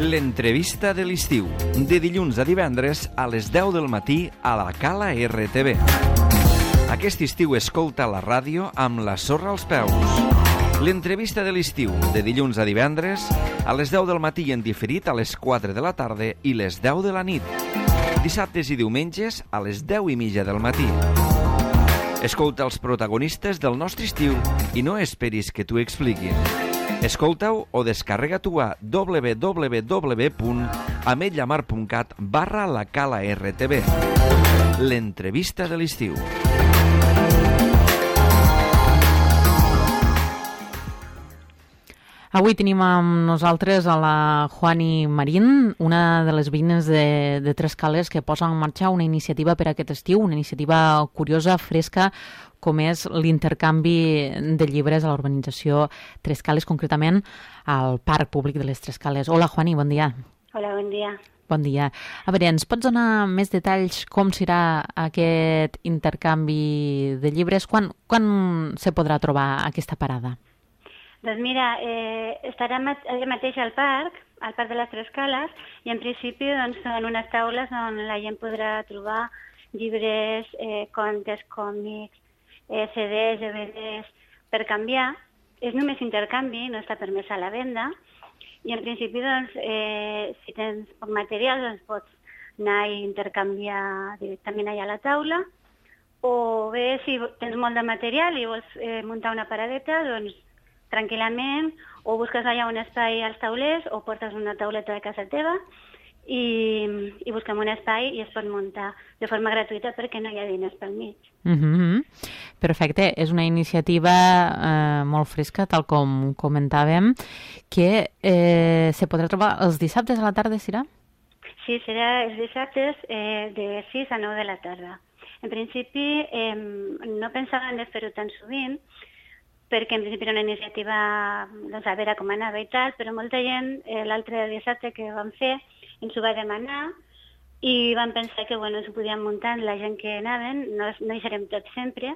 L'entrevista de l'estiu, de dilluns a divendres a les 10 del matí a la Cala RTV. Aquest estiu escolta la ràdio amb la sorra als peus. L'entrevista de l'estiu, de dilluns a divendres a les 10 del matí en diferit a les 4 de la tarda i les 10 de la nit. Dissabtes i diumenges a les 10:30 del matí. Escolta els protagonistes del nostre estiu i no esperis que t'ho expliquin. Escolta-ho o descarrega-t'ho a www.ametlamar.cat/la Cala RTV. L'entrevista de l'estiu. Avui tenim amb nosaltres a la Juani Marín, una de les veïnes de Trescales que posa en marxa una iniciativa per aquest estiu, una iniciativa curiosa, fresca, com és l'intercanvi de llibres a la urbanització Trescales, concretament al Parc Públic de les Trescales. Hola, Juani, bon dia. Hola, bon dia. Bon dia. A veure, ens pots donar més detalls com serà aquest intercanvi de llibres? Quan se podrà trobar aquesta parada? Doncs mira, estarà allà mateix al parc de les Trescales, i en principi doncs, són unes taules on la gent podrà trobar llibres, contes, còmics, CDs, DVDs, per canviar. És només intercanvi, no està permès a la venda, i en principi, doncs, si tens poc material, doncs pots anar i intercanviar directament allà a la taula, o bé, si tens molt de material i vols muntar una paradeta, doncs tranquil·lament, o busques allà un espai als taulers, o portes una tauleta de casa teva i busquem un espai i es pot muntar de forma gratuïta perquè no hi ha diners pel mig. Perfecte, és una iniciativa molt fresca, tal com comentàvem, que se podrà trobar els dissabtes a la tarda, serà? Sí, serà els dissabtes de 6 a 9 de la tarda. En principi no pensàvem de fer-ho tan sovint, perquè en principi era una iniciativa, doncs, a veure com anava i tal, però molta gent l'altre dissabte que vam fer ens ho va demanar i vam pensar que s'ho podien muntar la gent que anaven, no hi serem tots sempre,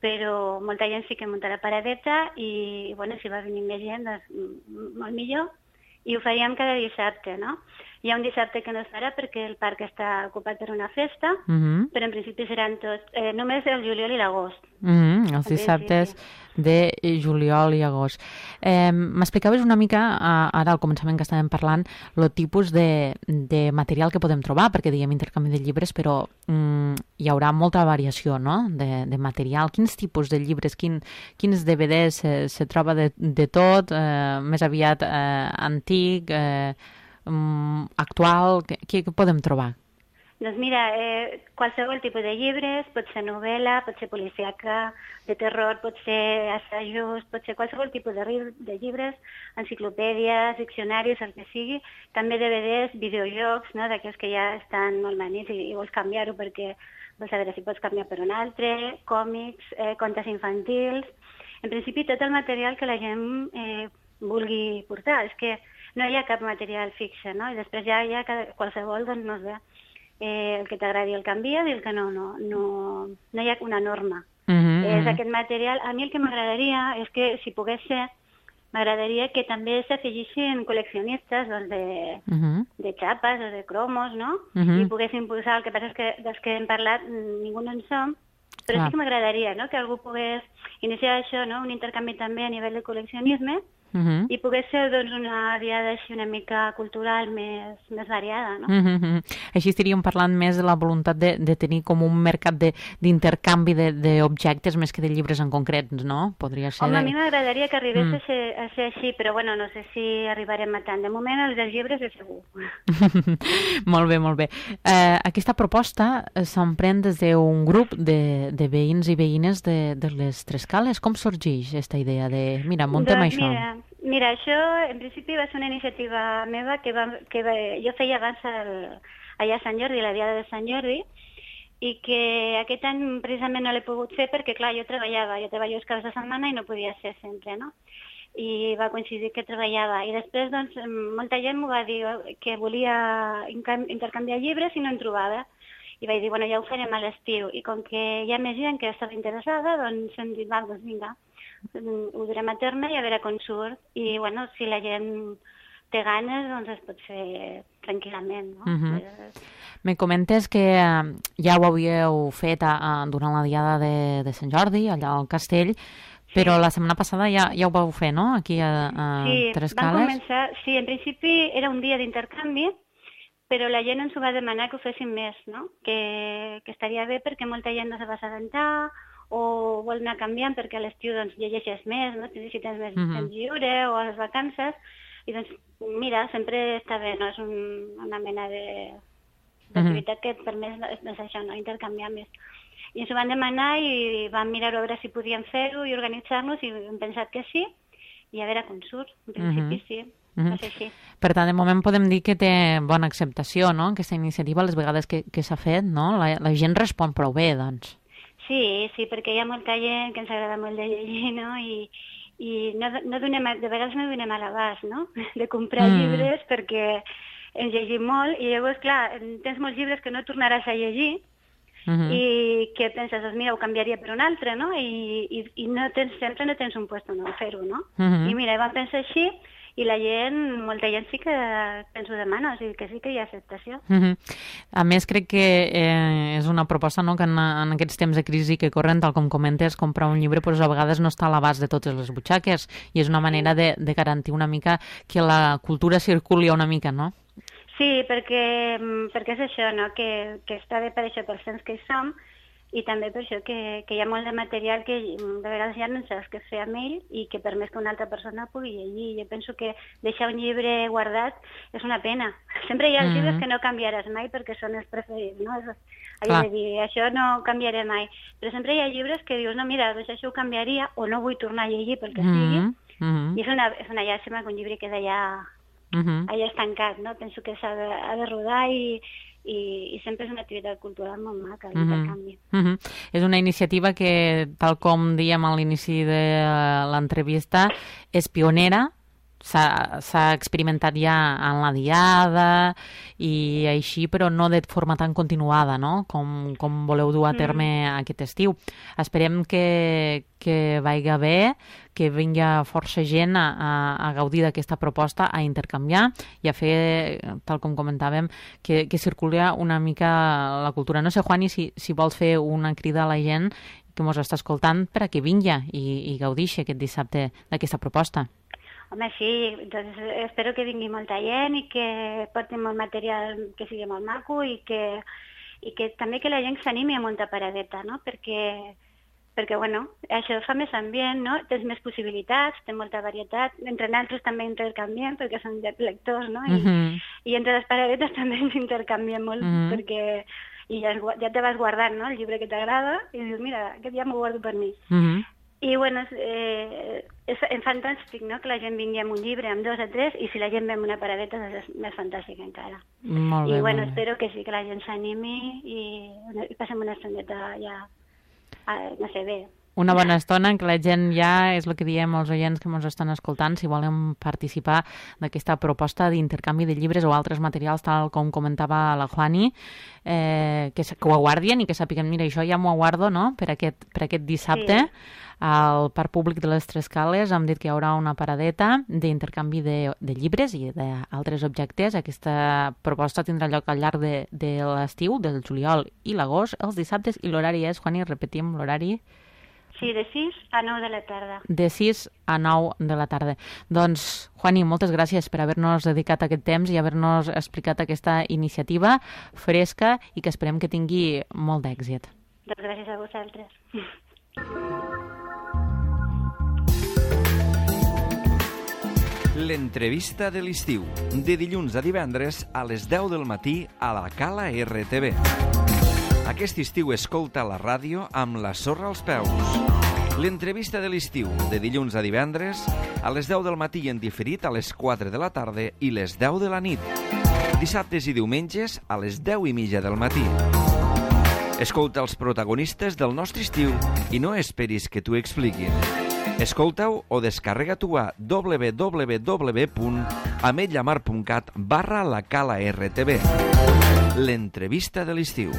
però molta gent sí que muntarà paradeta i si va venir més gent, doncs molt millor, i ho faríem cada dissabte, no? Hi ha un dissabte que no es farà perquè el parc està ocupat per una festa, però en principi seran tots, només el juliol i l'agost. Els dissabtes de juliol i agost. M'explicaves una mica, ara al començament que estàvem parlant, el tipus de material que podem trobar, perquè dèiem intercanvi de llibres, però hi haurà molta variació, no?, de material. Quins tipus de llibres, quins DVDs se troba de tot, més aviat antic, actual, què podem trobar? Doncs mira, qualsevol tipus de llibres, pot ser novel·la, pot ser policíaca, de terror, pot ser assajos, pot ser qualsevol tipus de llibres, enciclopèdies, diccionaris, el que sigui, també DVDs, videojocs, no?, d'aquells que ja estan molt manits i vols canviar-ho perquè vols saber si pots canviar per un altre, còmics, contes infantils. En principi, tot el material que la gent vulgui portar. És que no hi ha cap material fixe, no? I després ja hi ha qualsevol, doncs, no sé, el que t'agradi el canvia i el que no hi ha una norma. És aquest material. A mi el que m'agradaria és que, si pogués ser, m'agradaria que també s'afegissin col·leccionistes de xapes o de cromos, no? I poguessin posar. El que passa és que dels que hem parlat ningú no en som, però sí que m'agradaria, no?, que algú pogués iniciar això, no?, un intercanvi també a nivell de col·leccionisme, i pogués ser, doncs, una diada així una mica cultural més variada, no? Així estaríem parlant més de la voluntat de tenir com un mercat d'intercanvi d'objectes més que de llibres en concret, no? Podria ser... Home, a mi m'agradaria que arribés a ser així, però no sé si arribarem a tant. De moment, els dels llibres és segur. Molt bé, molt bé. Aquesta proposta s'emprèn des d'un grup de veïns i veïnes de les Trescales. Com sorgeix aquesta idea de, mira, muntem això? Mira, això en principi va ser una iniciativa meva que jo feia abans allà a Sant Jordi, la Diada de Sant Jordi, i que aquest any precisament no l'he pogut fer perquè, clar, jo treballo els caps de setmana i no podia ser sempre, no? I va coincidir que treballava. I després, doncs, molta gent m'ho va dir que volia intercanviar llibres i no en trobava. I vaig dir, ja ho farem a l'estiu. I com que hi ha més gent que estava interessada, doncs hem dit, doncs vinga, ho durem a terme i a veure com surt. I, si la gent té ganes, doncs es pot fer tranquil·lament, no? Me comentes que ja ho havíeu fet durant la diada de Sant Jordi, allà al castell, però la setmana passada ja ho vau fer, no?, aquí a Tres Cales. Sí, en principi era un dia d'intercanvi, però la gent ens ho va demanar que ho féssim més, no?, que estaria bé perquè molta gent no se va assabentar o vol anar canviant perquè a l'estiu doncs, llegeixes més, no?, si tens més temps lliure o a les vacances, i doncs mira, sempre està bé, no?, és una mena d'activitat que et permet això, no?, intercanviar més. I ens ho van demanar i vam mirar a veure si podíem fer-ho i organitzar-nos i hem pensat que sí, i a veure com surt. En principi sí, va ser així. Per tant, de moment podem dir que té bona acceptació, no?, aquesta iniciativa, les vegades que s'ha fet, no? La gent respon prou bé, doncs. Sí, perquè hi ha molta gent que ens agrada molt de llegir, no?, i de vegades no donem a l'abast, no?, de comprar llibres perquè ens llegim molt i llavors, clar, tens molts llibres que no tornaràs a llegir i que penses, doncs mira, ho canviaria per un altre, no?, i sempre no tens un lloc on fer-ho, no? I mira, vam pensar així i la gent, molta gent sí que ens ho demana, o sigui que sí que hi ha acceptació. A més, crec que és una proposta, no?, que en aquests temps de crisi que corren, tal com comentes, comprar un llibre doncs a vegades no està a l'abast de totes les butxaques i és una manera de garantir una mica que la cultura circuli una mica, no? Sí, perquè és això, no?, que està bé per això, pels temps que hi som, i també per això que hi ha molt de material que de vegades ja no saps què fer amb ell i que permet que una altra persona pugui llegir. Jo penso que deixar un llibre guardat és una pena. Sempre hi ha llibres que no canviaràs mai perquè són els preferits, no? És a dir, això no canviaré mai. Però sempre hi ha llibres que dius, no, mira, doncs això ho canviaria o no vull tornar a llegir pel que sigui. I és una llàstima que un llibre queda allà estancat, no? Penso que s'ha de rodar i sempre és una activitat cultural molt maca, l'intercanvi. És una iniciativa que, tal com dèiem a l'inici de l'entrevista, és pionera, s'ha experimentat ja en la diada i així, però no de forma tan continuada, no?, com voleu dur a terme aquest estiu. Esperem que vaiga bé, que vingui força gent a gaudir d'aquesta proposta, a intercanviar i a fer, tal com comentàvem, que circuli una mica la cultura. No sé, Juani, si vols fer una crida a la gent que ens està escoltant per a que vingui i gaudixi aquest dissabte d'aquesta proposta. Home, sí, doncs espero que vingui molta gent i que portin molt material que sigui molt maco i que també que la gent s'animi a muntar paradeta, no?, perquè bueno, això fa més ambient, no?, tens més possibilitats, tens molta varietat, entre nosaltres també intercanviem perquè som lectors, no?, i entre les paradetes també ens intercanviem molt perquè ja te vas guardant, no?, el llibre que t'agrada i dius, mira, aquest ja m'ho guardo per mi. I bueno, és fantàstic, no?, que la gent vingui amb un llibre, amb 2 o 3, i si la gent ve amb una paradeta doncs és més fantàstic encara. Molt bé, i bueno, espero que sí, que la gent s'animi i passem una estoneta ja, no sé, bé. Una bona estona en què la gent ja, és el que diem als oients que ens estan escoltant, si volen participar d'aquesta proposta d'intercanvi de llibres o altres materials, tal com comentava la Juani, que ho guardien i que sàpiguen, mira, això ja m'ho guardo, no?, per aquest dissabte. Al Parc Públic de les Tres Cales hem dit que hi haurà una paradeta d'intercanvi de llibres i d'altres objectes. Aquesta proposta tindrà lloc al llarg de l'estiu, del juliol i l'agost, els dissabtes, i l'horari és, Juani, repetim l'horari? Sí, de 6 a 9 de la tarda. De 6 a 9 de la tarda. Doncs, Juani, moltes gràcies per haver-nos dedicat aquest temps i haver-nos explicat aquesta iniciativa fresca i que esperem que tingui molt d'èxit. Doncs gràcies a vosaltres. L'entrevista de l'estiu, de dilluns a divendres a les 10 del matí a la Cala RTV. Aquest estiu escolta la ràdio amb la sorra als peus. L'entrevista de l'estiu, de dilluns a divendres a les 10 del matí i en diferit a les 4 de la tarda i les 10 de la nit. Dissabtes i diumenges a les 10:30 del matí. Escolta els protagonistes del nostre estiu i no esperis que t'ho expliquin. Escolta-ho o descarrega-t'ho a www.ametlllamar.cat/la Cala RTV. L'entrevista de l'estiu.